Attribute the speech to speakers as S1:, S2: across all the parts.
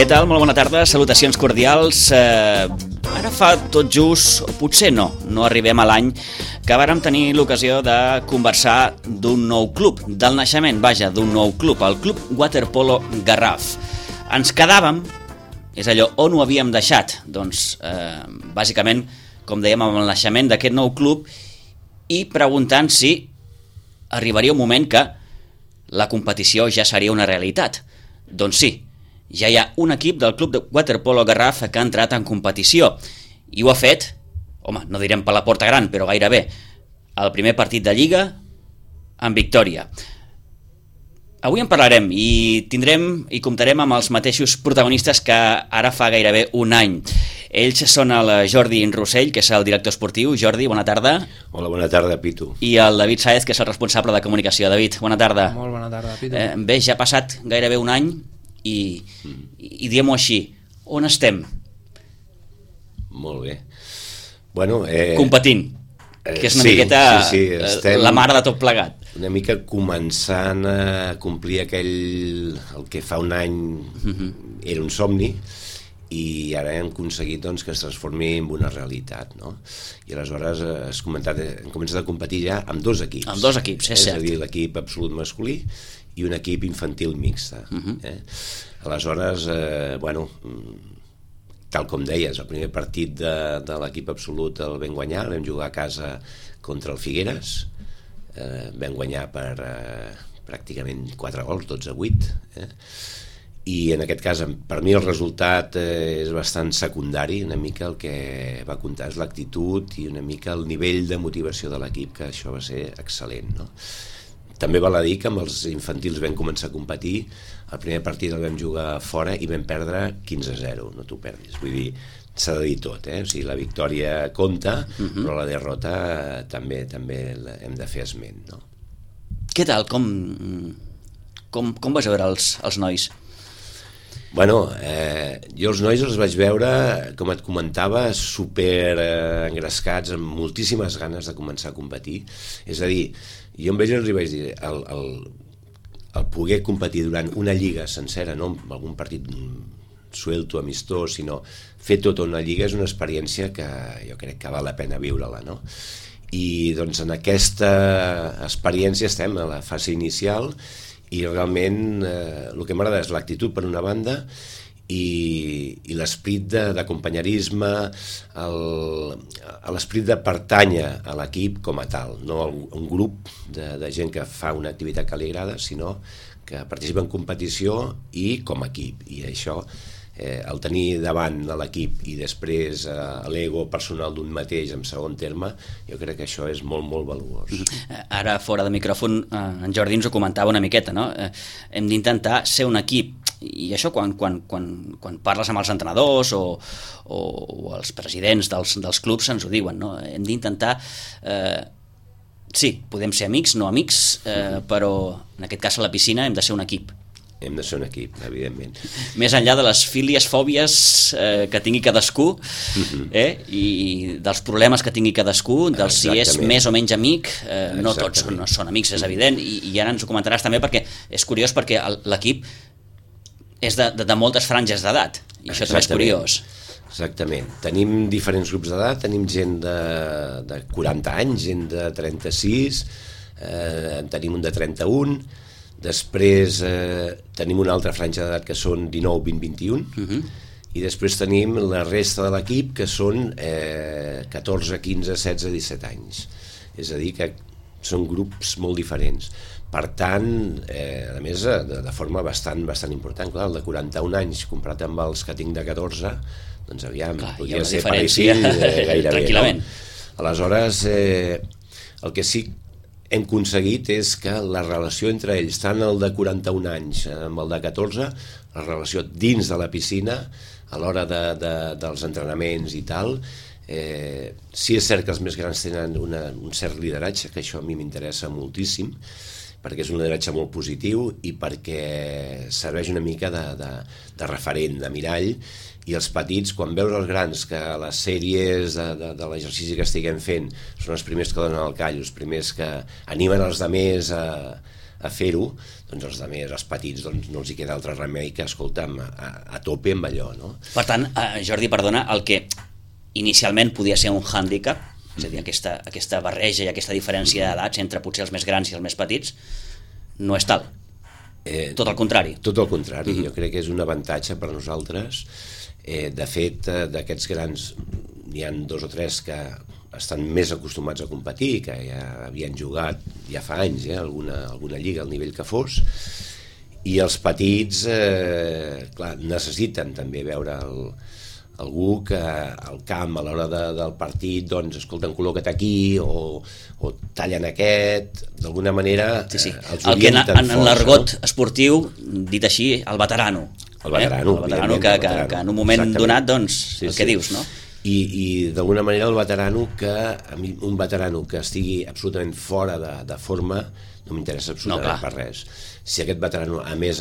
S1: Què tal? Molt bona tarda, salutacions cordials. Ara fa tot just, o potser no arribem a l'any que vàrem tenir l'ocasió de conversar d'un nou club, del naixement, vaja, d'un nou club, el Club Waterpolo Garraf. Ens quedàvem, és allò, on ho havíem deixat? Doncs, bàsicament, com dèiem, amb el naixement d'aquest nou club i preguntant si arribaria un moment que la competició ja seria una realitat. Doncs sí, ja hi ha un equip del Club de Waterpolo Garraf que ha entrat en competició i ho ha fet, home, no direm per la porta gran, però gairebé, el primer partit de Lliga en victòria. Avui en parlarem i comptarem amb els mateixos protagonistes que ara fa gairebé un any. Ells són el Jordi Rossell, que és el director esportiu. Jordi, bona tarda.
S2: Hola, bona tarda, Pitu.
S1: I el David Sáez, que és el responsable de comunicació. David, bona tarda.
S3: Molt bona tarda, Pitu.
S1: Bé, ja ha passat gairebé un any i diem-ho així, on estem?
S2: Molt bé. Bueno,
S1: competint, que és una miqueta
S2: estem
S1: la mare de tot plegat.
S2: Una mica començant a complir el que fa un any era un somni, i ara hem aconseguit doncs, que es transformi en una realitat, no? I aleshores hem començat a competir ja amb dos equips.
S1: Amb dos equips, és cert.
S2: És a dir, l'equip absolut masculí i un equip infantil mixta. Aleshores, tal com deies, el primer partit de l'equip absolut el vam guanyar, vam jugar a casa contra el Figueres, vam guanyar per pràcticament 4 gols, 12-8, i en aquest cas per mi el resultat és bastant secundari. Una mica el que va comptar és l'actitud i una mica el nivell de motivació de l'equip, que això va ser excel·lent, no? També val a dir que amb els infantils vam començar a competir. El primer partit el vam jugar fora i vam perdre 15-0, no t'ho perdis. Vull dir, s'ha de dir tot, o sigui, la victòria compta, però la derrota també hem de fer esment, no?
S1: Què tal? Com vas veure els nois?
S2: Bueno, jo els nois els vaig veure, com et comentava, super engrescats, amb moltíssimes ganes de començar a competir. És a dir, jo amb ells els vaig dir, el poder competir durant una lliga sencera, no amb algun partit suelto, amistós, sinó fer tota una lliga és una experiència que jo crec que val la pena viure-la, no? I doncs en aquesta experiència estem a la fase inicial i realment el que m'agrada és l'actitud per una banda i l'esperit d'acompanyarisme, l'esperit de pertànyer a l'equip com a tal, no un grup de gent que fa una activitat que li agrada, sinó que participa en competició i com a equip. I això, el tenir davant de l'equip i després l'ego personal d'un mateix en segon terme, jo crec que això és molt, molt valuós.
S1: Ara, fora de micròfon, en Jordi ens ho comentava una miqueta, no? Hem d'intentar ser un equip, i això quan parles amb els entrenadors o els presidents dels clubs ens ho diuen, no? Hem d'intentar... Sí, podem ser amics, no amics, però en aquest cas a la piscina hem de ser un equip.
S2: Hem de ser un equip, evidentment.
S1: Més enllà de les fílies, fòbies que tingui cadascú, i dels problemes que tingui cadascú, dels si és més o menys amic, no tots són amics, és evident, i ara ens ho comentaràs també, perquè és curiós, perquè l'equip és de moltes franges d'edat, i això també és curiós.
S2: Exactament. Tenim diferents grups d'edat, tenim gent de 40 anys, gent de 36, tenim un de 31, després tenim una altra franja d'edat que són 19, 20, 21, i després tenim la resta de l'equip que són 14, 15, 16, 17 anys. És a dir, que són grups molt diferents. Per tant, a més, de forma bastant important. Clar, el de 41 anys comparat amb els que tinc de 14, doncs aviam, podria ser parecill gairebé.
S1: Tranquil·lament.
S2: Aleshores, el que sí hem aconseguit és que la relació entre ells, tant el de 41 anys amb el de 14, la relació dins de la piscina, a l'hora dels entrenaments i tal, sí és cert que els més grans tenen un cert lideratge, que això a mi m'interessa moltíssim, perquè és un lideratge molt positiu i perquè serveix una mica de referent, de mirall, i els petits, quan veus els grans que a les sèries de l'exercici que estiguem fent són els primers que donen el call, els primers que animen els altres a fer-ho, doncs els altres, els petits, doncs no els hi queda altre remei que, escolta'm, a tope amb allò, no?
S1: Per tant, Jordi, perdona, el que inicialment podia ser un hàndicap, és a dir, aquesta barreja i aquesta diferència d'edats entre potser els més grans i els més petits, no és tal. Tot el contrari.
S2: Tot el contrari, jo crec que és un avantatge per a nosaltres. De fet, d'aquests grans n'hi ha 2 o 3 que estan més acostumats a competir, que ja havien jugat ja fa anys alguna lliga al nivell que fos, i els petits clar, necessiten també veure algú que al camp a l'hora del partit, doncs, escolta, col·loca't aquí o tallen aquest, d'alguna manera
S1: sí.
S2: Els
S1: el que en l'argot
S2: no?
S1: esportiu, dit així, el veterano.
S2: El veterano,
S1: que en un moment donat, doncs,
S2: sí,
S1: el que dius, no?
S2: I d'alguna manera el veterano a mi un veterano que estigui absolutament fora de forma no m'interessa absolutament per res. Si aquest veterano a més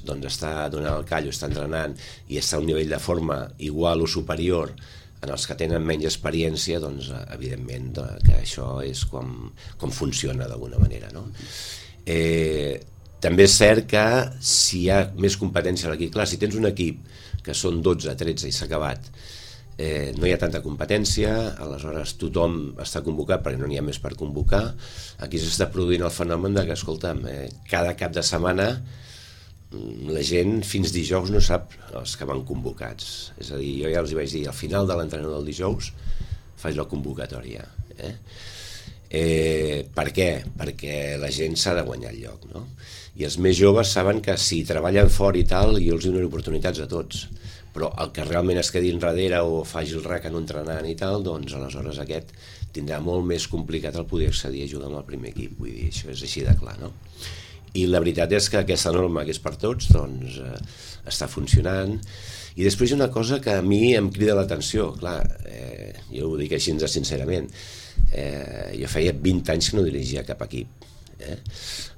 S2: doncs està donant el callo, està entrenant i està a un nivell de forma igual o superior en els que tenen menys experiència, doncs evidentment que això és com funciona d'alguna manera, no? També és cert que si hi ha més competència a l'equip, clar, si tens un equip que són 12, 13 i s'ha acabat, no hi ha tanta competència, aleshores tothom està convocat perquè no n'hi ha més per convocar. Aquí s'està produint el fenomen de que, escolta'm, cada cap de setmana la gent fins dijous no sap els que van convocats. És a dir, jo ja els hi vaig dir, al final de l'entrenament del dijous faig la convocatòria. Per què? Perquè la gent s'ha de guanyar el lloc, no? I els més joves saben que si treballen fort i tal, jo els dono oportunitats a tots, però el que realment es quedi enrere o faci el rec en un entrenant i tal, doncs aleshores aquest tindrà molt més complicat el poder accedir a jugar amb el primer equip, vull dir, això és així de clar, no? I la veritat és que aquesta norma que és per tots, doncs està funcionant. I després hi ha una cosa que a mi em crida l'atenció, clar, jo ho dic així sincerament, jo feia 20 anys que no dirigia cap equip.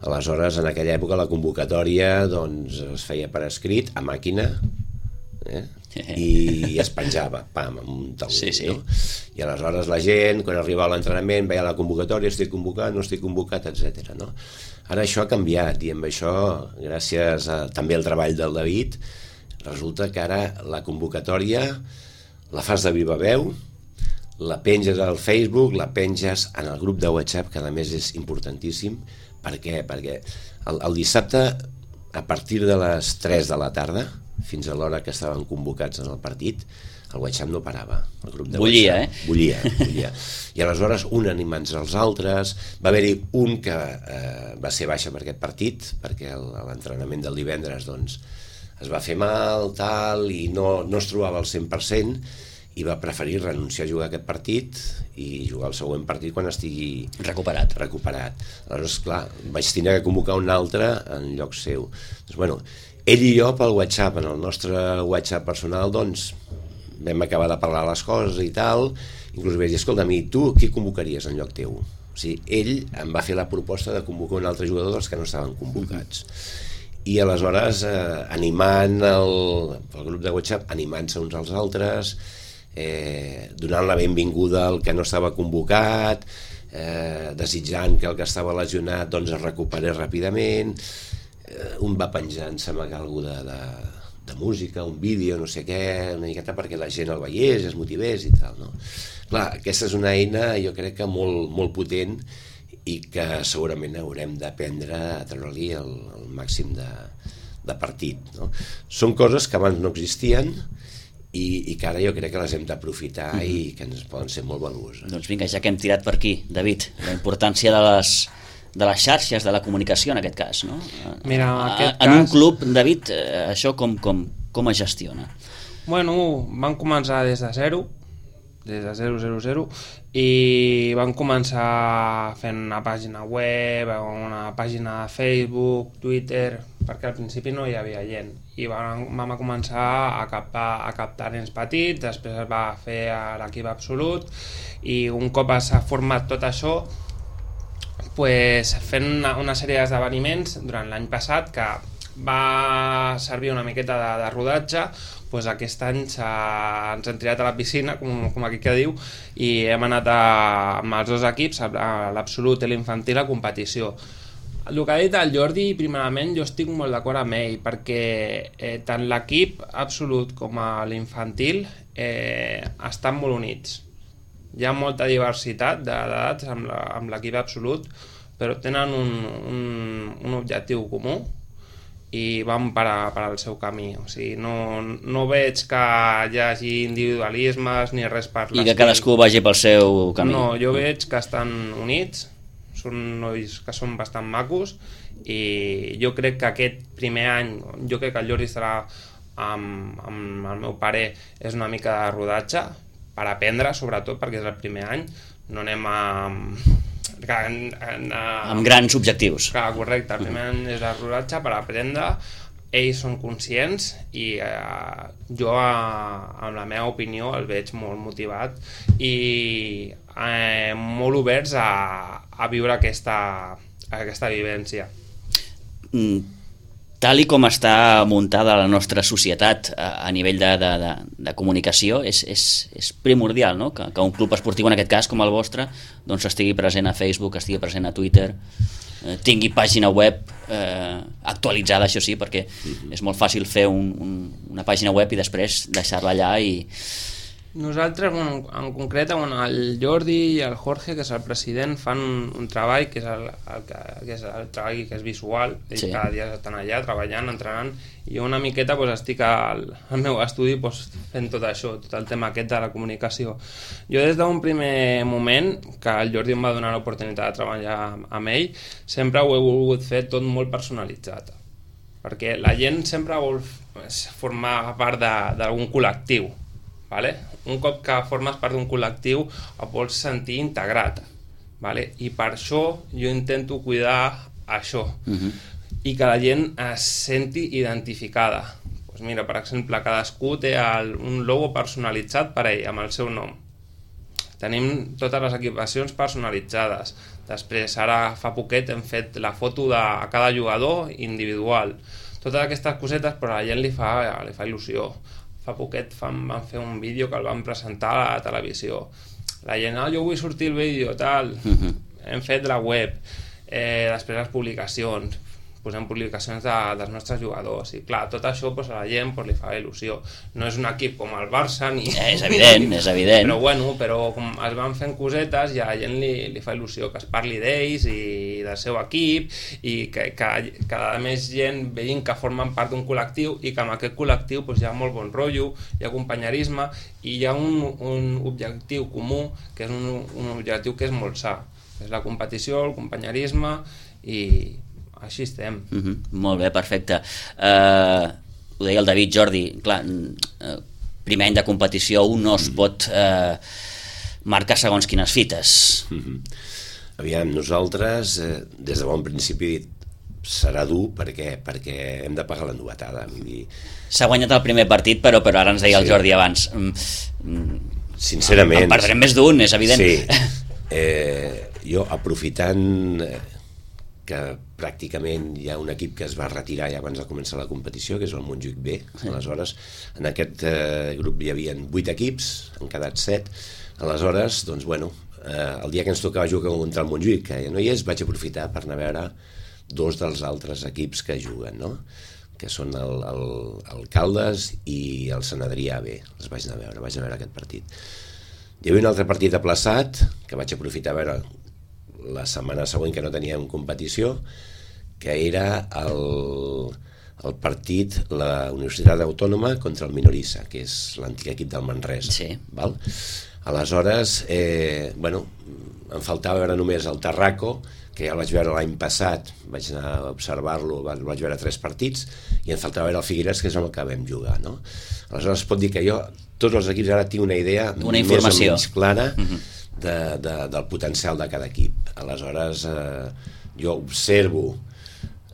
S2: Aleshores, en aquella època la convocatòria doncs, es feia per escrit, a màquina, i es penjava, pam, amb un taulell,
S1: sí.
S2: no? I aleshores la gent, quan arribava a l'entrenament, veia la convocatòria, estic convocat, no estic convocat, etc. No? Ara això ha canviat, i amb això, gràcies també al treball del David, resulta que ara la convocatòria la fas de viva veu, la penges al Facebook, la penges en el grup de WhatsApp, que a més és importantíssim. Per què? Perquè el dissabte, a partir de les 3 de la tarda, fins a l'hora que estaven convocats en el partit, el WhatsApp no parava. El grup de
S1: bullia,
S2: WhatsApp, bullia. I aleshores un animant-se als altres. Va haver-hi un que va ser baixa per aquest partit, perquè l'entrenament del divendres doncs, es va fer mal, tal, i no es trobava al 100%, i va preferir renunciar a jugar aquest partit i jugar el següent partit quan estigui recuperat. Aleshores, clar, vaig tenir que convocar un altre en lloc seu. Doncs, bueno, ell i jo pel WhatsApp, en el nostre WhatsApp personal, doncs, vam acabar de parlar les coses i tal, inclús vaig dir, escolta, i tu qui convocaries en lloc teu? O sigui, ell em va fer la proposta de convocar un altre jugador dels que no estaven convocats. I aleshores, animant el grup de WhatsApp, animant-se uns als altres, donant la benvinguda al que no estava convocat, desitjant que el que estava lesionat doncs es recuperés ràpidament. Un va penjant, sembla que alguna de música, un vídeo, no sé què, una miqueta perquè la gent el veiés, es motivés i tal, no? Clar, aquesta és una eina, jo crec que molt, molt potent i que segurament haurem d'aprendre a treure-li el màxim de partit, no? Són coses que abans no existien i que ara jo crec que les hem d'aprofitar i que ens poden ser molt valuoses.
S1: Doncs vinga, ja que hem tirat per aquí, David, la importància de les xarxes, de la comunicació en aquest cas, no?
S3: Mira,
S1: en un club, David, això com es gestiona?
S3: Bueno, van començar des de 0, i van començar fent una pàgina web, una pàgina de Facebook, Twitter, perquè al principi no hi havia gent, i vam començar a captar nens petits, després es va fer a l'equip absolut, i un cop s'ha format tot això, pues, fent una sèrie d'esdeveniments durant l'any passat que va servir una miqueta de rodatge, pues aquest any ens hem tirat a la piscina, com aquí que diu, i hem anat amb els dos equips, l'absolut i l'infantil, a competició. El que ha dit el Jordi, primerament, jo estic molt d'acord amb ell, perquè tant l'equip absolut com l'infantil estan molt units. Hi ha molta diversitat d'edats amb l'equip absolut, però tenen un objectiu comú i van per al seu camí. O sigui, no veig que hi hagi individualismes ni res per l'estil.
S1: I que cadascú vagi pel seu camí.
S3: No, jo veig que estan units, són nois que són bastant macos, i jo crec que aquest primer any, jo crec que el Jordi estarà amb el meu pare, és una mica de rodatge per aprendre, sobretot perquè és el primer any, no anem
S1: amb grans objectius.
S3: Clar, correcte, el primer any és el rodatge per aprendre, ells són conscients i jo, amb la meva opinió, el veig molt motivat i molt oberts a viure aquesta vivència.
S1: Tal i com està muntada la nostra societat a nivell de comunicació, és primordial, no? Que un club esportiu, en aquest cas com el vostre, doncs estigui present a Facebook, estigui present a Twitter, tingui pàgina web actualitzada, això sí, perquè és molt fàcil fer una pàgina web i després deixar-la allà i...
S3: Nosaltres, en concret, el Jordi i el Jorge, que és el president, fan un treball que és el treball que és visual. Ells cada dia estan allà treballant, entrenant, i jo una miqueta estic al meu estudi fent tot això, tot el tema aquest de la comunicació. Jo des d'un primer moment, que el Jordi em va donar l'oportunitat de treballar amb ell, sempre ho he volgut fer tot molt personalitzat, perquè la gent sempre vol formar part d'algun col·lectiu. Vale? Un cop que formes part d'un col·lectiu et vols sentir integrat, vale? I per això jo intento cuidar això i que la gent es senti identificada. Pues mira, per exemple, cadascú té un logo personalitzat per ell, amb el seu nom. Tenim totes les equipacions personalitzades. Després, ara fa poquet hem fet la foto de cada jugador individual. Totes aquestes cosetes, però a la gent li fa il·lusió. Fa poquet van fer un vídeo que el van presentar a la televisió. La gent, jo vull sortir el vídeo, tal. Hem fet la web, després les publicacions, posem publicacions dels nostres jugadors, i clar, tot això a la gent li fa il·lusió. No és un equip com el Barça ni...
S1: És evident.
S3: Però bueno, com es van fent cosetes i a la gent li fa il·lusió que es parli d'ells i del seu equip, i que cada més gent vegin que formen part d'un col·lectiu i que en aquest col·lectiu hi ha molt bon rotllo, hi ha companyerisme i hi ha un objectiu comú, que és un objectiu que és molt sa, és la competició, el companyerisme, i així estem.
S1: Molt bé, perfecte. Ho deia el David, Jordi, clar, primer any de competició un no es pot marcar segons quines fites.
S2: Aviam, nosaltres des de bon principi serà dur perquè hem de pagar la novetada.
S1: S'ha guanyat el primer partit, però ara ens deia el Jordi abans.
S2: Sincerament...
S1: En perdrem més d'un, és evident.
S2: Sí. Jo, aprofitant que pràcticament hi ha un equip que es va retirar ja abans de començar la competició, que és el Montjuïc B. Aleshores, en aquest grup hi havia 8 equips, han quedat 7. Aleshores, doncs, bueno, el dia que ens tocava jugar contra el Montjuïc, que ja no hi és, vaig aprofitar per anar a veure 2 dels altres equips que juguen, no? Que són el Caldes i el Sant Adrià B. Els vaig anar a veure aquest partit. Hi havia un altre partit aplaçat, que vaig aprofitar a veure la setmana següent, que no teníem competició, que era el partit la Universitat Autònoma contra el Minorissa, que és l'antic equip del Manresa.
S1: Sí.
S2: Val? Aleshores, em faltava veure només el Tarraco, que ja el vaig veure l'any passat, vaig anar a observar-lo, vaig veure 3 partits, i em faltava veure el Figueres, que és el que vam jugar, no? Aleshores es pot dir que jo, tots els equips ara tinc una idea més o menys clara del potencial de cada equip. Aleshores jo observo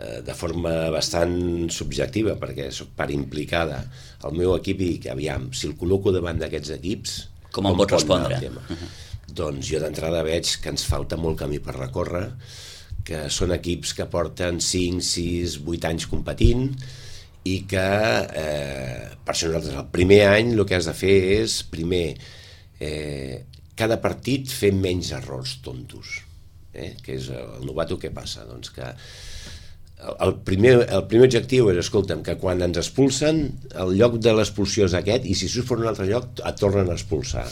S2: de forma bastant subjectiva, perquè soc part implicada el meu equip, i aviam, si el col·loco davant d'aquests equips,
S1: com em pot respondre?
S2: Doncs jo d'entrada veig que ens falta molt camí per recórrer, que són equips que porten 5, 6, 8 anys competint, i que per això nosaltres el primer any el que has de fer és primer cada partit fer menys errors tontos, que és el novato. Què passa? Doncs que el primer objectiu és, escolta'm, que quan ens expulsen, el lloc de l'expulsió és aquest, i si surts per un altre lloc et tornen a expulsar.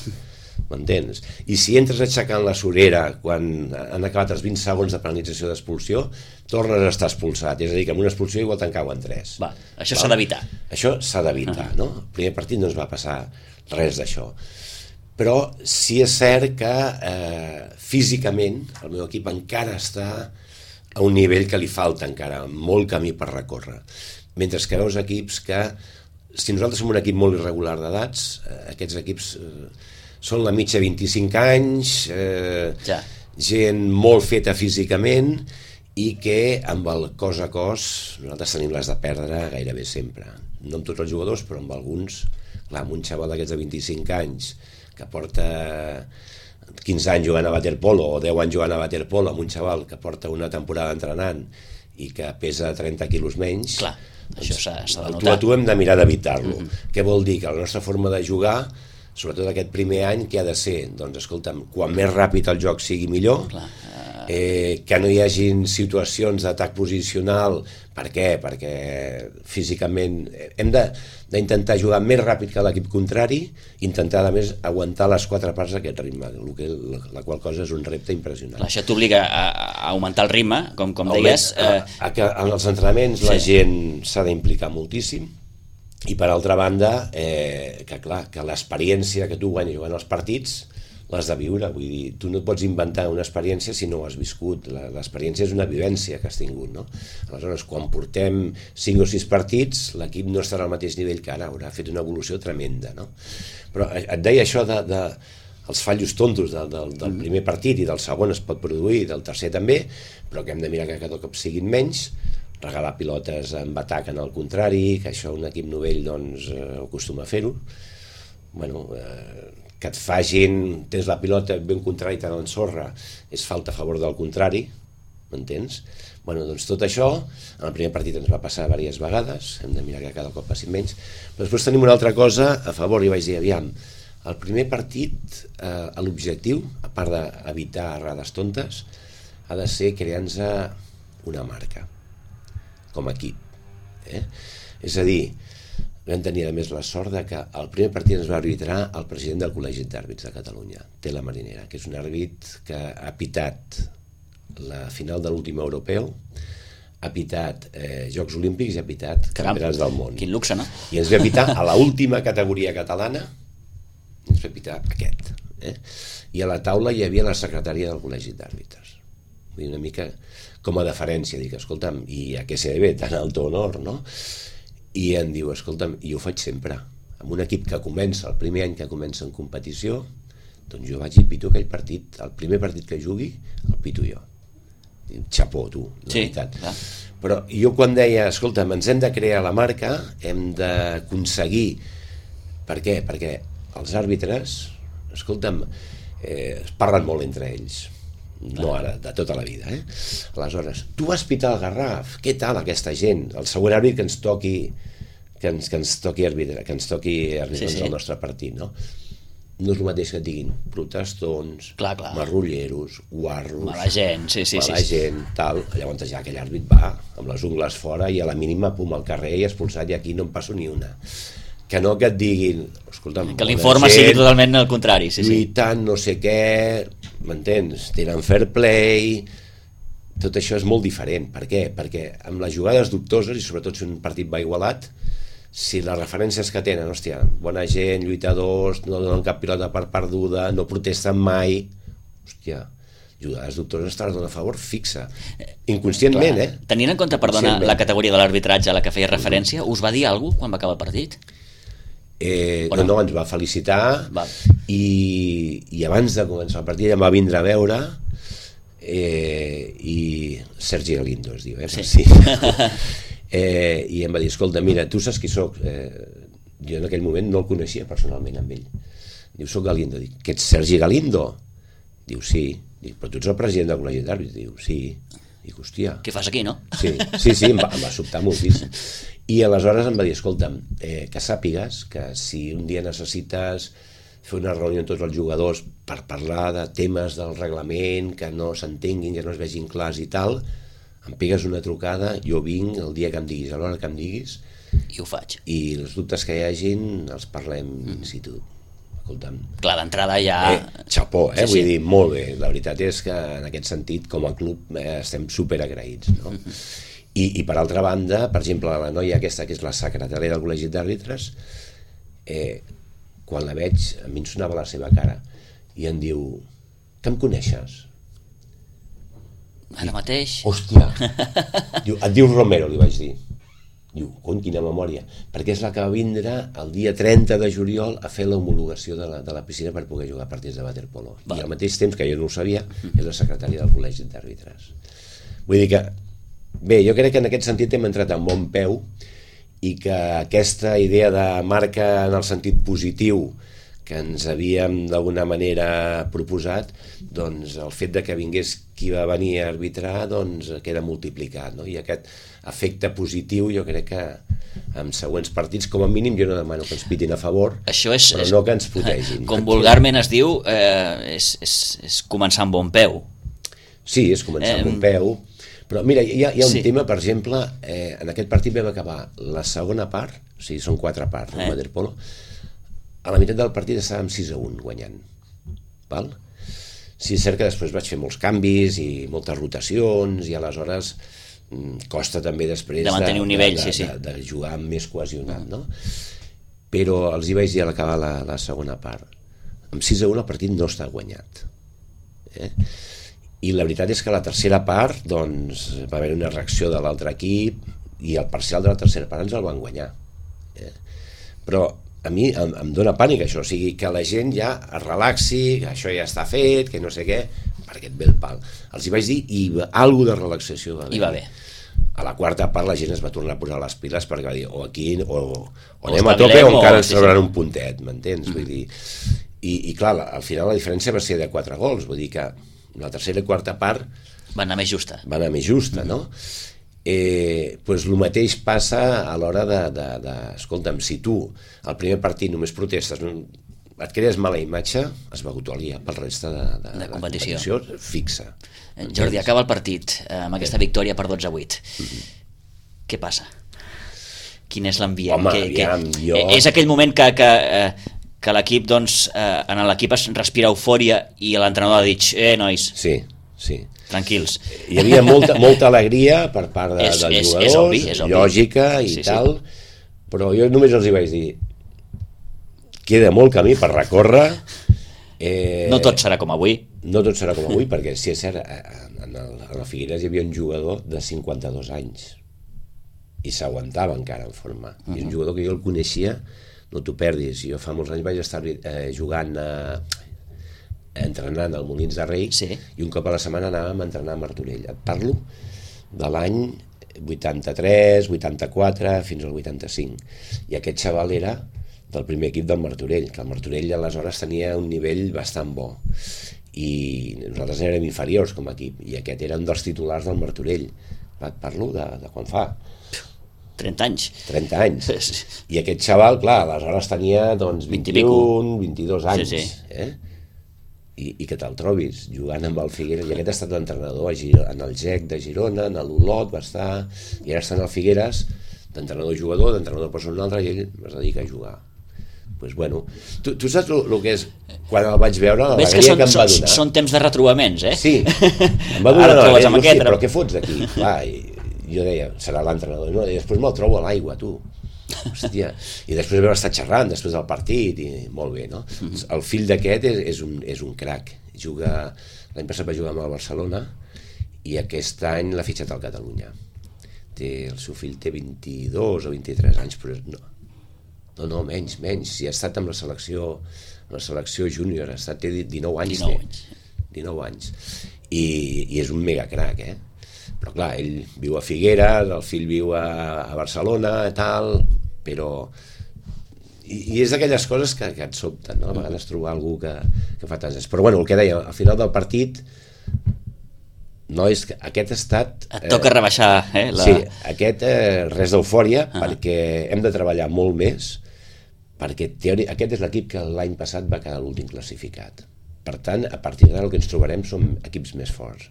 S2: M'entens? I si entres aixecant la sorera quan han acabat els 20 segons de penalització d'expulsió, tornes a estar expulsat. És a dir, que amb una expulsió igual te'n cauen 3.
S1: Això s'ha d'evitar.
S2: Això s'ha d'evitar, no? El primer partit no es va passar res d'això. Però sí és cert que físicament el meu equip encara està a un nivell que li falta encara molt camí per recórrer. Mentre que veus equips que, si nosaltres som un equip molt irregular d'edats, aquests equips són la mitja 25 anys, gent molt feta físicament i que amb el cos a cos nosaltres tenim les de perdre gairebé sempre. No amb tots els jugadors, però amb alguns. Clar, amb un xaval d'aquests de 25 anys que porta 15 anys jugant a waterpolo o 10 anys jugant a waterpolo, amb un xaval que porta una temporada entrenant i que pesa 30 quilos menys,
S1: clar, això s'ha de notar.
S2: Tu a tu hem de mirar d'evitar-lo. Què vol dir? Que la nostra forma de jugar, sobretot aquest primer any, què ha de ser? Doncs escolta'm, quan més ràpid el joc sigui millor, que no hi hagin situacions d'atac posicional. Per què? Perquè físicament hem d'intentar jugar més ràpid que l'equip contrari, intentar a més aguantar les 4 parts d'aquest ritme, la qual cosa és un repte impressionant.
S1: Això t'obliga a augmentar el ritme, com deies.
S2: Que en els entrenaments la gent s'ha d'implicar moltíssim, i per altra banda que clar, que l'experiència que tu guanyes jugant els partits l'has de viure. Vull dir, tu no et pots inventar una experiència si no ho has viscut. L'experiència és una vivència que has tingut, no? Aleshores, quan portem 5 o 6 partits, l'equip no estarà al mateix nivell que ara, haurà fet una evolució tremenda, no? Però et deia això els fallos tontos del primer partit, i del segon es pot produir, del tercer també, però que hem de mirar que cada cop siguin menys, regalar pilotes amb atac en el contrari, que això un equip novell doncs acostuma a fer-ho. Bueno, que et facin, tens la pilota ben contrari i te l'ensorra, és falta a favor del contrari, m'entens? Bueno, doncs tot això, en el primer partit ens va passar diverses vegades, hem de mirar que cada cop passin menys, però després tenim una altra cosa a favor, i vaig dir, aviam, el primer partit, l'objectiu, a part d'evitar errades tontes, ha de ser crear-nos una marca, com a equip. És a dir, vam tenir a més la sort que el primer partit ens va arbitrar el president del Col·legi d'Àrbits de Catalunya, Tela Marinera, que és un àrbit que ha pitat la final de l'últim europeu, ha pitat Jocs Olímpics i ha pitat Campionats del Món.
S1: Quin luxe, no?
S2: I ens va pitar a l'última categoria catalana, ens va pitar aquest. I a la taula hi havia la secretària del Col·legi d'Àrbitres. Vull dir, una mica com a deferència, dic, escolta'm, i a què se debe tan alto honor, no? I em diu, escolta'm, i ho faig sempre, amb un equip que comença, el primer any que comença en competició, doncs jo vaig i pito aquell partit, el primer partit que jugui, el pito jo. Xapó, tu, la veritat. Però jo quan deia, escolta'm, ens hem de crear la marca, hem d'aconseguir... Per què? Perquè els àrbitres, escolta'm, es parlen molt entre ells, no ara, de tota la vida. Aleshores, tu vas pitar el Garraf, què tal aquesta gent? El següent àrbit que ens toqui arbitrar el nostre partit, no? No és el mateix que et diguin protestons, marrulleros, guarros,
S1: mala gent,
S2: tal. Llavors ja aquell àrbit va amb les ungles fora i a la mínima pum al carrer i expulsat, i aquí no en passo ni una. Que no que et diguin, escolta'm,
S1: que l'informe sigui totalment el contrari,
S2: lluitant no sé què, m'entens? Tenen fair play, tot això és molt diferent. Per què? Perquè amb les jugades dubtoses, i sobretot si un partit va igualat, si les referències que tenen, hòstia, bona gent, lluitadors, no donen cap pilota per perduda, no protesten mai, hòstia, jugades dubtoses te les dona a favor fixa, inconscientment.
S1: Tenint en compte, perdona, la categoria de l'arbitratge a la que feia referència, us va dir alguna cosa quan va acabar el partit?
S2: No, ens va felicitar i abans de començar el partit em va vindre a veure i Sergi Galindo es diu, i em va dir, escolta, mira, tu saps qui soc? Jo en aquell moment no el coneixia personalment amb ell. Diu, soc Galindo. Dic, que ets Sergi Galindo? Diu, sí. Dic, però tu ets el president del Col·legi d'Àrbitres? Diu, sí. Dic, hòstia.
S1: Què fas aquí, no?
S2: Sí, em va sobtar moltíssim. I aleshores em va dir, escolta'm, que sàpigues que si un dia necessites fer una reunió amb tots els jugadors per parlar de temes del reglament, que no s'entenguin, que no es vegin clars i tal, em pegues una trucada, jo vinc el dia que em diguis, a l'hora que em diguis,
S1: i ho faig.
S2: I els dubtes que hi hagin els parlem in situ. Escolta'm.
S1: Clar, d'entrada ja...
S2: Xapó,
S1: Sí,
S2: vull dir, molt bé. La veritat és que en aquest sentit, com a club, estem superagraïts, no? I per altra banda, per exemple, la noia aquesta, que és la secretària del Col·legi d'Àrbitres, quan la veig, a mi em sonava la seva cara, i em diu, que em coneixes?
S1: Ara mateix?
S2: Hòstia! Diu, et dius Romero, li vaig dir. Diu, cony, quina memòria, perquè és la que va vindre el dia 30 de juliol a fer l'homologació de la piscina per poder jugar partits de waterpolo. I al mateix temps, que jo no ho sabia, és la secretària del Col·legi d'Àrbitres. Vull dir que, bé, jo crec que en aquest sentit hem entrat en bon peu i que aquesta idea de marca en el sentit positiu que ens havíem d'alguna manera proposat, doncs el fet de que vingués qui va venir a arbitrar doncs queda multiplicat, no? I aquest efecte positiu jo crec que en següents partits, com a mínim, jo no demano que ens pitin a favor, però no que ens putegin.
S1: Com vulgarment es diu, és començar amb bon peu.
S2: Sí, és començar amb bon peu, però mira, hi ha un tema, per exemple, en aquest partit vam acabar la segona part, o sigui, són 4 parts, el waterpolo, a la meitat del partit estàvem 6-1 guanyant, val? Sí, és cert que després vaig fer molts canvis i moltes rotacions i aleshores costa també després
S1: de mantenir un nivell,
S2: de jugar més cohesionat, no? Però els hi vaig dir a l'acabar la segona part, amb 6-1 el partit no està guanyat, i la veritat és que a la tercera part doncs va haver una reacció de l'altre equip i el parcial de la tercera part ens el van guanyar, però a mi em dóna pànic això, o sigui, que la gent ja es relaxi, que això ja està fet, que no sé què, perquè et ve el pal. Els hi vaig dir i alguna de relaxació va haver.
S1: I va bé.
S2: A la quarta part la gent es va tornar a posar les piles perquè va dir, o aquí o anem a tope o encara ens trauran un puntet, m'entens? Vull dir, i clar, al final la diferència va ser de 4 gols, vull dir que la tercera i quarta part
S1: va anar més justa.
S2: Va anar més justa, no? Pues el mateix passa a l'hora escolta'm, si tu al primer partit només protestes, et crees mala imatge, es vagutolia pel resta de competició fixa.
S1: Jordi, acaba el partit amb aquesta victòria per 12-8. Què passa? Quin és l'ambient?
S2: Home, aviam, jo...
S1: És aquell moment que l'equip, doncs, en l'equip es respira eufòria i l'entrenador ha dit, nois,
S2: sí.
S1: Tranquils.
S2: Hi havia molta alegria per part dels jugadors,
S1: és obvi.
S2: Lògica i tal, però jo només els hi vaig dir, queda molt camí per recórrer.
S1: No tot serà com avui.
S2: No tot serà com avui, perquè si és cert, en la Figueres hi havia un jugador de 52 anys i s'aguantava encara en forma. I un jugador que jo el coneixia, no t'ho perdis, jo fa molts anys vaig estar jugant entrenant al Molins de Rei i un cop a la setmana anàvem a entrenar a Martorell. Et parlo de l'any 83, 84 fins al 85, i aquest xaval era del primer equip del Martorell, que el Martorell aleshores tenia un nivell bastant bo i nosaltres érem inferiors com a equip, i aquest era un dels titulars del Martorell. Et parlo de quan fa
S1: 30 anys.
S2: 30 anys. I aquest xaval, clar, aleshores tenia doncs 21, 22 anys, i que te'l trobis jugant amb el Figueres, i aquest ha estat l'entrenador en el GEC de Girona, en l'Olot va estar, i ara està en el Figueres d'entrenador-jugador, d'entrenador personal, i ell es dedica a jugar. Pues bueno, tu saps el que és quan el vaig veure, l'alegria que em va donar?
S1: Són temps de retrobaments,
S2: Sí, em va donar l'alegria, però què fots d'aquí? Jo deia, serà l'entrenador, no? I després me'l trobo a l'aigua, tu. Hòstia. I després vam estar xerrant després del partit i molt bé, no? El fill d'aquest és un crac. L'any passat va jugar amb el Barcelona i aquest any l'ha fitxat al Catalunya. El seu fill té 22 o 23 anys, però no, menys. Si ha estat amb la selecció júnior, té 19 anys. 19 anys. I és un mega crac, però clar, ell viu a Figueres, el fill viu a Barcelona, tal, però... I és d'aquelles coses que et sobten, no? A vegades trobar algú que fa tants anys. Però bueno, el que deia, al final del partit, no és que aquest ha estat...
S1: Et toca rebaixar,
S2: Sí, aquest res d'eufòria, perquè hem de treballar molt més perquè aquest és l'equip que l'any passat va quedar l'últim classificat. Per tant, a partir d'ara el que ens trobarem són equips més forts.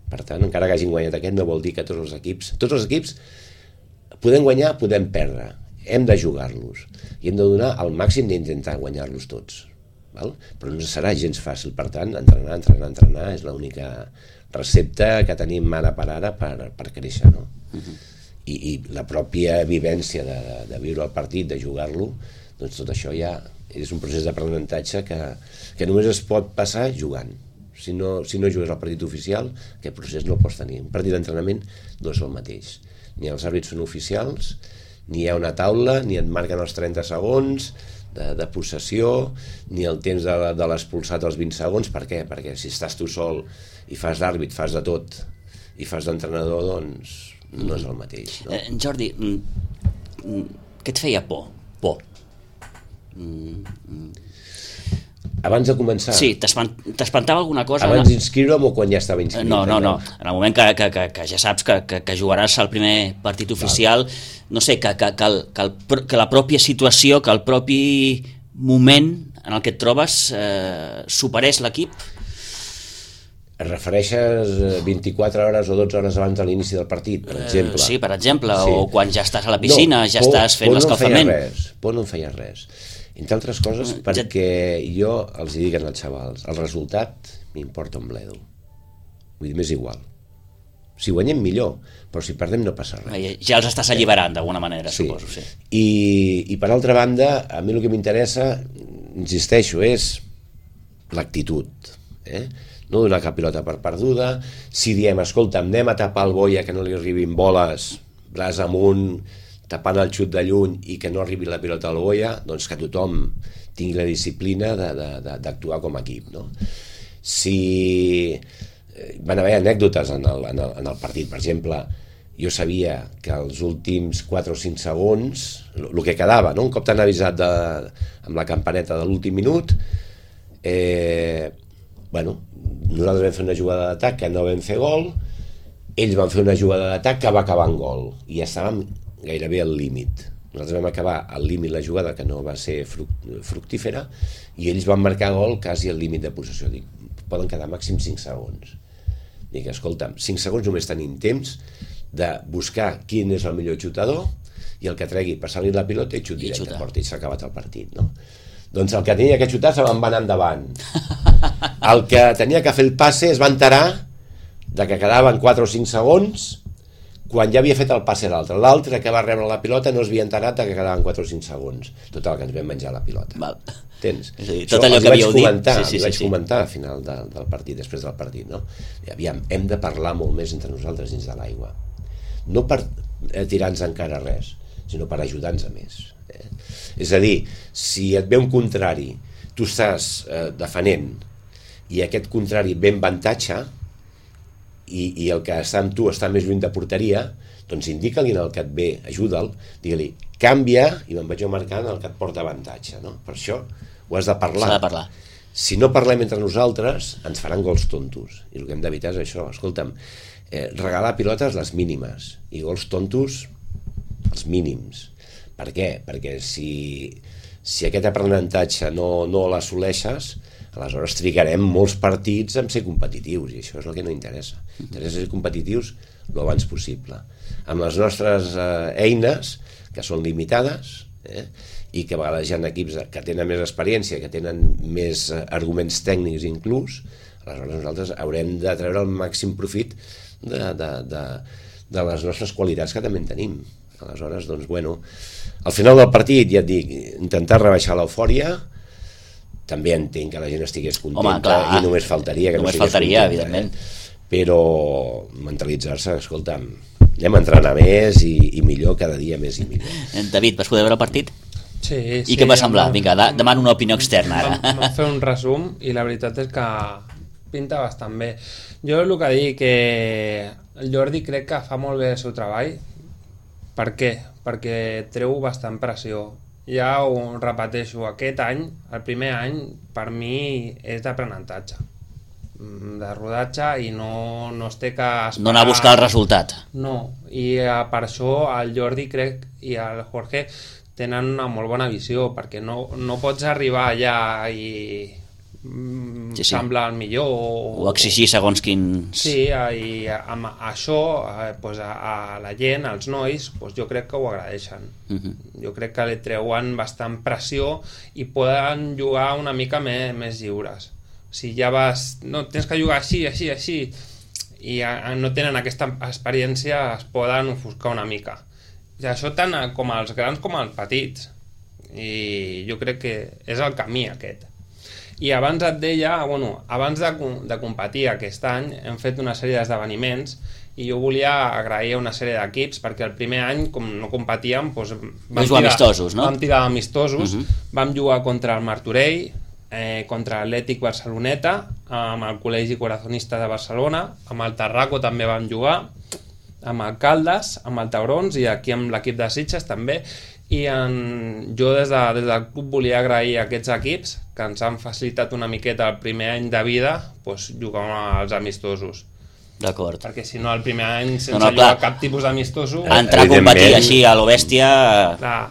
S2: Per tant, encara que hagin guanyat aquest, no vol dir que tots els equips podem guanyar, podem perdre, hem de jugar-los i hem de donar el màxim d'intentar guanyar-los tots, val? Però no serà gens fàcil. Per tant, entrenar és l'única recepta que tenim ara per créixer, no? I la pròpia vivència de viure el partit, de jugar-lo, doncs tot això ja és un procés d'aprenentatge que només es pot passar jugant. Si no jugues al partit oficial, aquest procés no el pots tenir. Un partit d'entrenament no és el mateix. Ni els àrbits són oficials, ni hi ha una taula, ni et marquen els 30 segons de possessió, ni el temps de l'expulsat als 20 segons. Per què? Perquè si estàs tu sol i fas d'àrbit, fas de tot, i fas d'entrenador, doncs no és el mateix, no?
S1: Jordi, què et feia por?
S2: Abans de començar?
S1: Sí, t'espantava alguna cosa?
S2: Abans d'inscriure'm o quan ja estava inscrit?
S1: No. En el moment que ja saps que jugaràs al primer partit oficial, no sé, que la pròpia situació, que el propi moment en el que et trobes superés l'equip?
S2: Et refereixes 24 hores o 12 hores abans de l'inici del partit, per exemple?
S1: Sí, per exemple, sí. O quan ja estàs a la piscina, ja estàs fent l'escalfament.
S2: Por no em feia res. Entre altres coses, perquè jo els dic als xavals, el resultat m'importa un bledo. Vull dir, m'és igual. Si guanyem millor, però si perdem no passa res.
S1: Ja els estàs alliberant d'alguna manera, sí. Suposo. Sí.
S2: I per altra banda, a mi el que m'interessa, insisteixo, és l'actitud. No donar cap pilota per perduda. Si diem, escolta, anem a tapar el Boia que no li arribin boles, braç amunt, tapant el xut de lluny i que no arribi la pilota al Boia, doncs que tothom tingui la disciplina d'actuar com a equip, no? Si van haver anècdotes en el partit, per exemple, jo sabia que els últims 4 o 5 segons, el que quedava, no? Un cop t'han avisat amb la campaneta de l'últim minut, nosaltres vam fer una jugada d'atac que no vam fer gol, ells van fer una jugada d'atac que va acabar en gol, i ja estàvem gairebé al límit. Nosaltres vam acabar al límit la jugada que no va ser fructífera i ells van marcar gol quasi al límit de possessió. Dic, poden quedar màxim 5 segons. Dic, escolta'm, 5 segons només tenim temps de buscar quin és el millor xutador i el que tregui, passar-li la pilota i xut directe a porta, i s'ha acabat el partit, no? Doncs el que tenia que xutar se va anar endavant. El que tenia que fer el passe es va enterar de que quedaven 4 o 5 segons quan ja havia fet el passe l'altre. L'altre que va rebre la pilota no es havia enterat que quedaven 4 o 5 segons. Total, que ens vam menjar la pilota.
S1: Val.
S2: Tens?
S1: Tot allò que havíeu dit.
S2: Sí, vaig comentar al final del partit, després del partit, no? I aviam, hem de parlar molt més entre nosaltres dins de l'aigua. No per tirar-nos encara res, sinó per ajudar-nos a més. És a dir, si et ve un contrari, tu estàs defenent i aquest contrari ve en avantatge, i el que està amb tu està més lluny de porteria, doncs indica-li el que et ve, ajuda'l, digue-li, canvia, i me'n vaig jo marcant el que et porta avantatge, no? Per això ho has de parlar.
S1: S'ha de parlar.
S2: Si no parlem entre nosaltres, ens faran gols tontos, i el que hem d'evitar és això. Escolta'm, regalar pilotes les mínimes, i gols tontos els mínims. Per què? Perquè si aquest aprenentatge no l'assoleixes, aleshores trigarem molts partits en ser competitius, i això és el que no interessa. Interessa ser competitius el abans possible. Amb les nostres eines, que són limitades, i que a vegades hi ha equips que tenen més experiència, que tenen més arguments tècnics inclús, aleshores nosaltres haurem de treure el màxim profit de les nostres qualitats que també en tenim. Aleshores, doncs, bueno, al final del partit, ja et dic, intentar rebaixar l'eufòria. També entenc que la gent estigués contenta. Home, i només faltaria que només no estigués contenta, evidentment. Però mentalitzar-se, escolta'm, anem a entrenar més i millor, cada dia més i millor.
S1: David, vas poder veure el partit?
S3: Sí.
S1: I què em va semblar? Vinga, demano una opinió externa ara.
S3: Vam fer un resum i la veritat és que pinta bastant bé. Jo el que dic que el Jordi crec que fa molt bé el seu treball. Per què? Perquè treu bastant pressió. Ja ho repeteixo, aquest any, el primer any, per mi és d'aprenentatge, de rodatge, i no es té que esperar.
S1: No anar a buscar el resultat.
S3: No, i per això el Jordi, crec, i el Jorge tenen una molt bona visió, perquè no pots arribar allà i sembla el millor
S1: o exigir segons quins...
S3: Sí, i amb això pues, a la gent, als nois, pues, jo crec que ho agraeixen. Jo crec que li treuen bastant pressió i poden jugar una mica més lliures. Si ja vas... No, tens que jugar així, així, així, i no tenen aquesta experiència, es poden ofuscar una mica. I això tant com als grans com als petits. I jo crec que és el camí aquest. I abans et deia, bueno, abans de competir aquest any hem fet una sèrie d'esdeveniments i jo volia agrair una sèrie d'equips perquè el primer any, com no competíem, doncs vam tirar d'amistosos, vam jugar contra el Martorell, contra l'Atlètic Barceloneta, amb el Col·legi Corazonista de Barcelona, amb el Tarraco també vam jugar, amb el Caldes, amb el Taurons i aquí amb l'equip de Sitges també. I jo des del club volia agrair a aquests equips que ens han facilitat una miqueta el primer any de vida jugar als amistosos.
S1: D'acord.
S3: Perquè si no el primer any sense jugar cap tipus d'amistosos...
S1: Entrar a competir així a lo bèstia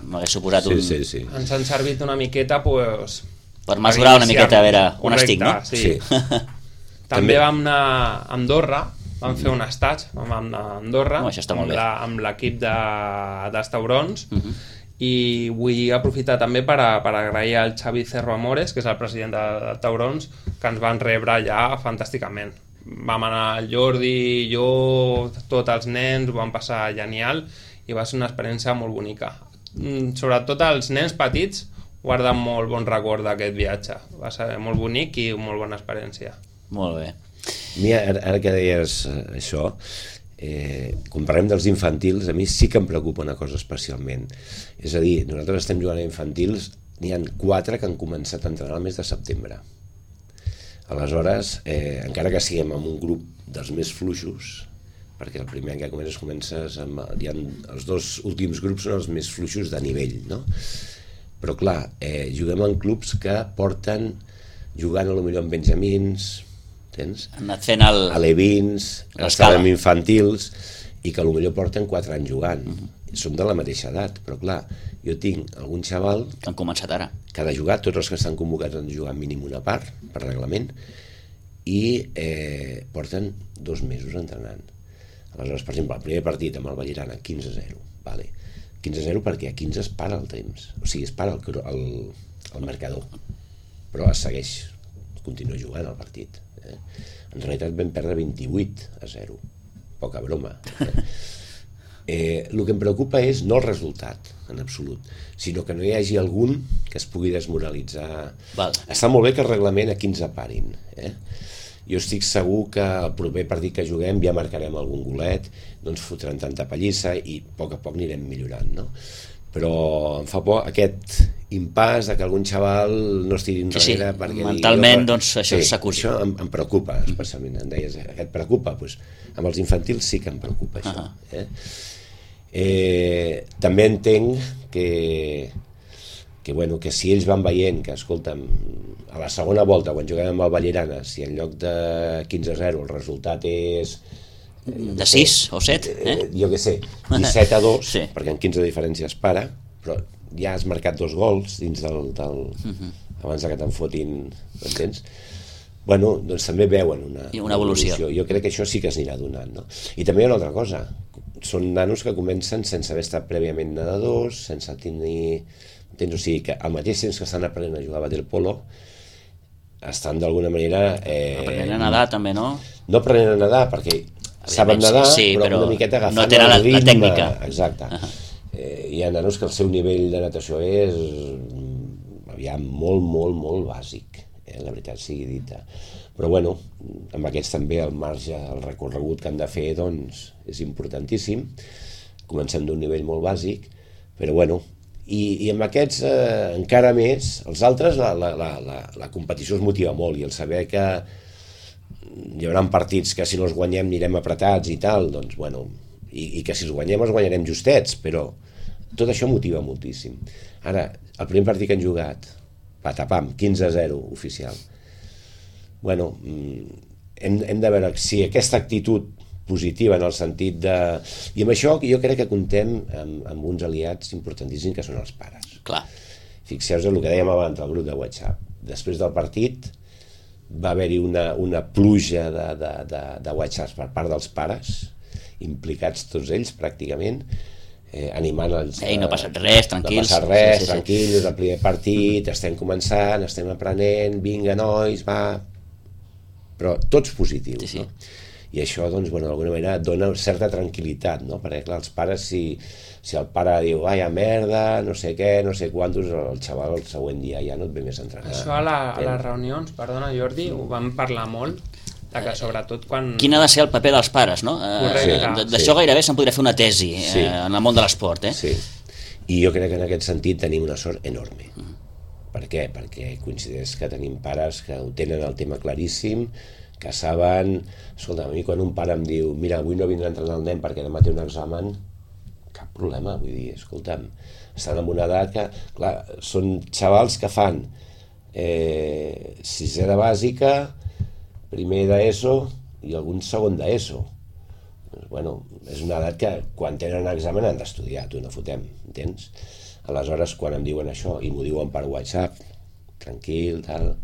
S1: m'hagués suposat un...
S2: Sí.
S3: Ens han servit una miqueta
S1: per mesurar una miqueta a veure on estic, no?
S3: Sí. També vam anar a Andorra, vam fer un estatge, vam anar a Andorra amb l'equip dels Taurons. I vull aprofitar també per agrair al Xavi Cerro Amores, que és el president de Taurons, que ens van rebre allà fantàsticament. Vam anar el Jordi, jo, tots els nens, ho vam passar genial i va ser una experiència molt bonica. Sobretot els nens petits guarden molt bon record d'aquest viatge. Va ser molt bonic i molt bona experiència.
S1: Molt bé.
S2: Mira, ara que deies això, quan parlem dels infantils, a mi sí que em preocupa una cosa especialment. És a dir, nosaltres estem jugant a infantils, n'hi ha 4 que han començat a entrenar el mes de setembre. Aleshores, encara que siguem en un grup dels més fluixos, perquè el primer any que comences amb, els 2 últims grups són els més fluixos de nivell, no? Però clar, juguem en clubs que porten jugant potser amb benjamins, tens?
S1: Han anat fent
S2: alevins, estan amb infantils i que potser porten 4 anys jugant. Som de la mateixa edat, però clar, jo tinc algun xaval
S1: que han començat ara,
S2: que ha de jugar, tots els que estan convocats han de jugar mínim una part per reglament i porten 2 mesos entrenant. Aleshores, per exemple, el primer partit amb el Vallirana 15-0, vale. 15-0 perquè a 15 es para el temps, o sigui, es para el marcador, però es segueix, continua jugant el partit. En realitat vam perdre 28-0, poca broma. El que em preocupa és no el resultat en absolut, sinó que no hi hagi algun que es pugui desmoralitzar. Està molt bé que el reglament a 15 parin, jo estic segur que el proper partit que juguem ja marcarem algun golet, no ens fotran tanta pallissa i a poc anirem millorant, no? Però em fa por aquest impàs de que algun xaval no es tiri enrere perquè
S1: mentalment doncs això s'acusi.
S2: Això em preocupa especialment, em deies, et preocupa? Doncs amb els infantils sí que em preocupa això. També entenc que si ells van veient que, escolta'm, a la segona volta quan juguem amb el Vallirana, si en lloc de 15-0 el resultat és
S1: de 6 o 7,
S2: jo què sé, 17-2, perquè en 15 diferència es para, però ja has marcat 2 gols dins del abans que te'n fotin, m'entens? Bueno, doncs també veuen una evolució. Jo crec que això sí que es anirà donant, no? I també hi ha una altra cosa, són nanos que comencen sense haver estat prèviament nedadors, sense tenir... O sigui que al mateix temps que estan aprenent a jugar a waterpolo estan d'alguna manera...
S1: aprenent a nedar també, no?
S2: No aprenent a nedar perquè saben nedar, però una miqueta agafant
S1: no tenen
S2: el ritme.
S1: La tècnica.
S2: Exacte. Hi ha nanos que el seu nivell de natació és molt bàsic, la veritat sigui dita. Però bueno, amb aquests també el marge, el recorregut que han de fer doncs és importantíssim. Comencem d'un nivell molt bàsic, però bueno, i amb aquests encara més, els altres la competició es motiva molt i el saber que hi haurà partits que si no els guanyem anirem apretats i tal, doncs bueno, i que si els guanyem els guanyarem justets, però tot això motiva moltíssim. Ara, el primer partit que han jugat, patapam, 15-0 oficial, bueno, hem de veure si aquesta actitud positiva en el sentit de... I amb això jo crec que comptem amb uns aliats importantíssims que són els pares.
S1: Clar.
S2: Fixeu-vos el que dèiem abans del grup de WhatsApp. Després del partit va haver-hi una pluja de WhatsApps per part dels pares, implicats tots ells pràcticament, animant els...
S1: No ha passat res, tranquils.
S2: No ha passat res, tranquils, el primer partit, estem començant, estem aprenent, vinga nois, va... Però tots positius, no? I això, doncs, d'alguna manera dona certa tranquil·litat, no? Perquè, clar, els pares, si el pare diu vaya merda, no sé què, no sé quantos, el xaval el següent dia ja no et ve més a entrenar.
S3: Això a les reunions, perdona Jordi, ho vam parlar molt, que sobretot quan...
S1: Quin ha de ser el paper dels pares, no? D'això gairebé se'n podria fer una tesi en el món de l'esport,
S2: Sí, i jo crec que en aquest sentit tenim una sort enorme. Per què? Perquè coincideix que tenim pares que ho tenen el tema claríssim, que saben... Escolta, a mi quan un pare em diu mira, avui no vindrà a entrenar el nen perquè demà té un examen, cap problema, vull dir, escolta'm, estan en una edat que, clar, són xavals que fan sisè de bàsica, primer d'ESO i algun segon d'ESO. Bueno, és una edat que quan tenen un examen han d'estudiar, tu no fotem, entens? Aleshores, quan em diuen això i m'ho diuen per WhatsApp, tranquil, tal...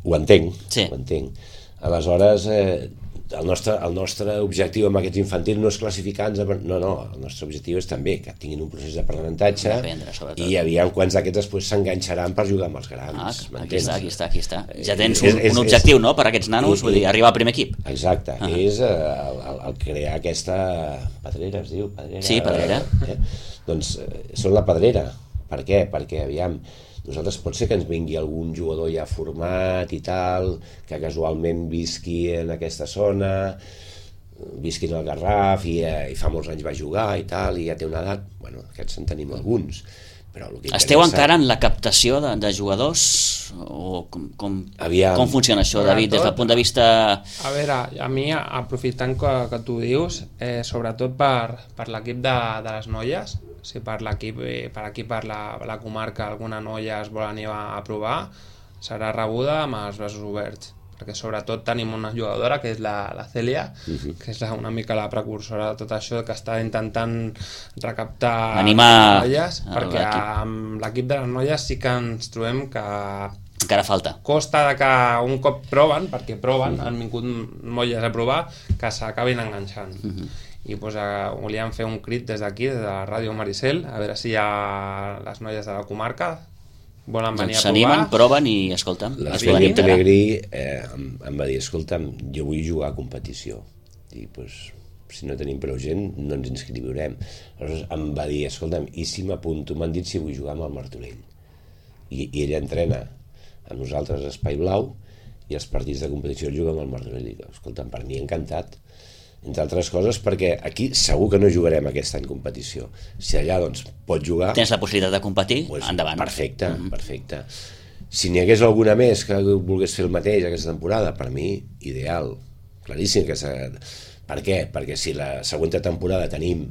S2: Ho entenc, ho entenc. Aleshores, el nostre objectiu amb aquests infantils no és classificar-nos... No, el nostre objectiu és també que tinguin un procés d'aprenentatge i aviam quants d'aquests després s'enganxaran per jugar amb els grans.
S1: Aquí està. Ja tens un objectiu, no?, per a aquests nanos, vull dir, arribar al primer equip.
S2: Exacte, és el crear aquesta pedrera, es diu?
S1: Sí, pedrera.
S2: Doncs són la pedrera. Per què? Perquè, aviam, nosaltres pot ser que ens vingui algun jugador ja format i tal, que casualment visqui en aquesta zona, visqui en el Garraf i fa molts anys va jugar i tal, i ja té una edat, bueno, aquests en tenim alguns. Però
S1: esteu encara en la captació de jugadors? O com funciona això, David, des del punt de vista...
S3: A veure, a mi, aprofitant que tu dius, sobretot per l'equip de les noies, si per aquí per la comarca alguna noia es vol anar a provar, serà rebuda amb els braços oberts, perquè sobretot tenim una jugadora que és la Cèlia, que és una mica la precursora de tot això, que està intentant recaptar
S1: animar
S3: noies, perquè amb l'equip de les noies sí que ens trobem que
S1: encara falta.
S3: Costa de que un cop proven, perquè proven, han vingut noies a provar, que s'acabin enganxant. I volíem fer un crit des d'aquí, des de la ràdio Maricel, a veure si hi ha les noies de la comarca volen venir a provar.
S1: S'animen, proven i, escolta'm,
S2: l'Esplèndid Pelegrí em va dir, escolta'm, jo vull jugar a competició. I si no tenim prou gent, no ens inscriurem. Aleshores em va dir, escolta'm, i si m'apunto? M'han dit si vull jugar amb el Martorell. I ella entrena amb nosaltres a Espai Blau i els partits de competició el juga amb el Martorell. I escolta'm, per mi encantat. Entre altres coses perquè aquí segur que no jugarem aquest any competició. Si allà doncs pot jugar...
S1: Tens la possibilitat de competir, endavant.
S2: Perfecte. Si n'hi hagués alguna més que volgués fer el mateix aquesta temporada, per mi, ideal. Claríssim que per què? Perquè si la següent temporada tenim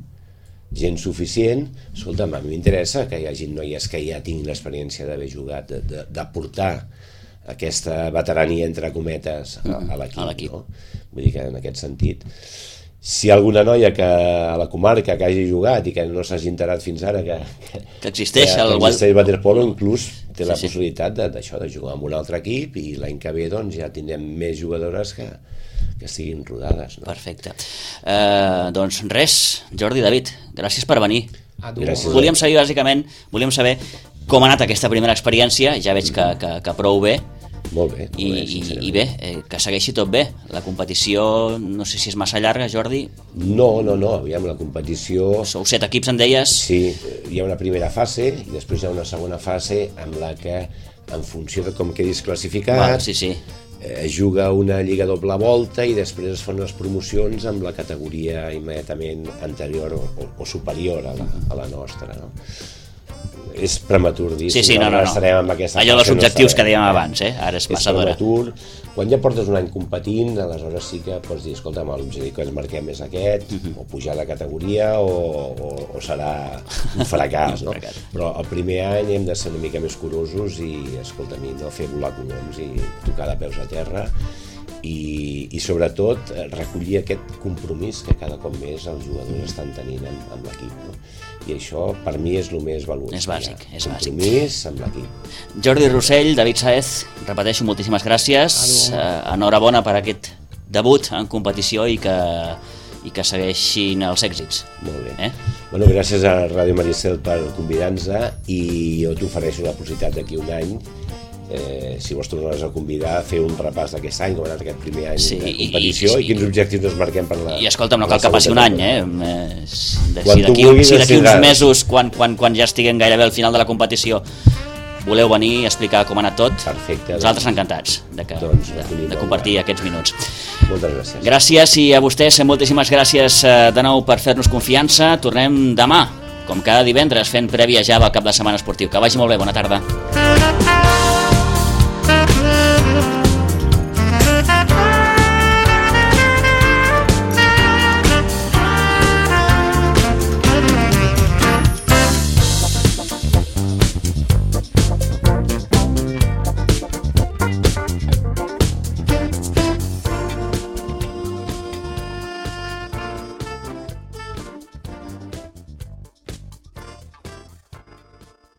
S2: gent suficient, escolta'm, a mi m'interessa que hi hagi noies que ja tinguin l'experiència d'haver jugat, d'aportar aquesta veterania entre cometes a l'equip, no? Vull dir que en aquest sentit, si hi ha alguna noia que a la comarca que hagi jugat i que no s'hagi enterat fins ara que
S1: existeix el
S2: waterpolo, inclús té la possibilitat d'això, de jugar amb un altre equip, i l'any que ve doncs ja tindrem més jugadores que estiguin rodades, no?
S1: Perfecte. Doncs res, Jordi, David, gràcies per venir.
S2: Volíem
S1: saber com ha anat aquesta primera experiència. Ja veig que prou bé.
S2: Molt bé.
S1: I bé, que segueixi tot bé. La competició, no sé si és massa llarga, Jordi?
S2: No, aviam, la competició...
S1: Sou 7 equips, em deies?
S2: Sí, hi ha una primera fase i després hi ha una segona fase amb la que, en funció de com quedis classificat, es juga una lliga doble volta i després es fan unes promocions amb la categoria immediatament anterior o superior a la nostra, no? És prematur dir
S1: si estarem amb aquesta allò dels objectius que dèiem abans, ara és massa d'hora.
S2: Quan ja portes un any competint, aleshores sí que pots dir, escolta'm, l'objectiu que ens marquem és aquest, o pujar de categoria o serà un fracàs, no? Però el primer any hem de ser una mica més curosos i, escolta'm, no fer volar coloms i tocar de peus a terra i sobretot recollir aquest compromís que cada cop més els jugadors estan tenint amb l'equip, no? I això per mi és el més valuós.
S1: És bàsic, és bàsic.
S2: Compromís amb l'equip.
S1: Jordi Rossell, David Sáez, repeteixo, moltíssimes gràcies. Enhorabona per aquest debut en competició i que segueixin els èxits.
S2: Molt bé. Bueno, gràcies a Ràdio Maricel per convidar-nos i jo t'ofereixo la possibilitat d'aquí un any, si vols tornar-nos a convidar, a fer un repàs d'aquest any, com ha anat aquest primer any de competició i quins objectius ens marquem per la...
S1: I escolta'm, no cal que passi un any, si d'aquí uns mesos, quan ja estiguem gairebé al final de la competició, voleu venir a explicar com ha anat tot,
S2: perfecte,
S1: nosaltres encantats de compartir aquests minuts.
S2: Moltes gràcies.
S1: Gràcies i a vostès moltíssimes gràcies de nou per fer-nos confiança. Tornem demà, com cada divendres, fent prèvia ja del cap de setmana esportiu. Que vagi molt bé, bona tarda.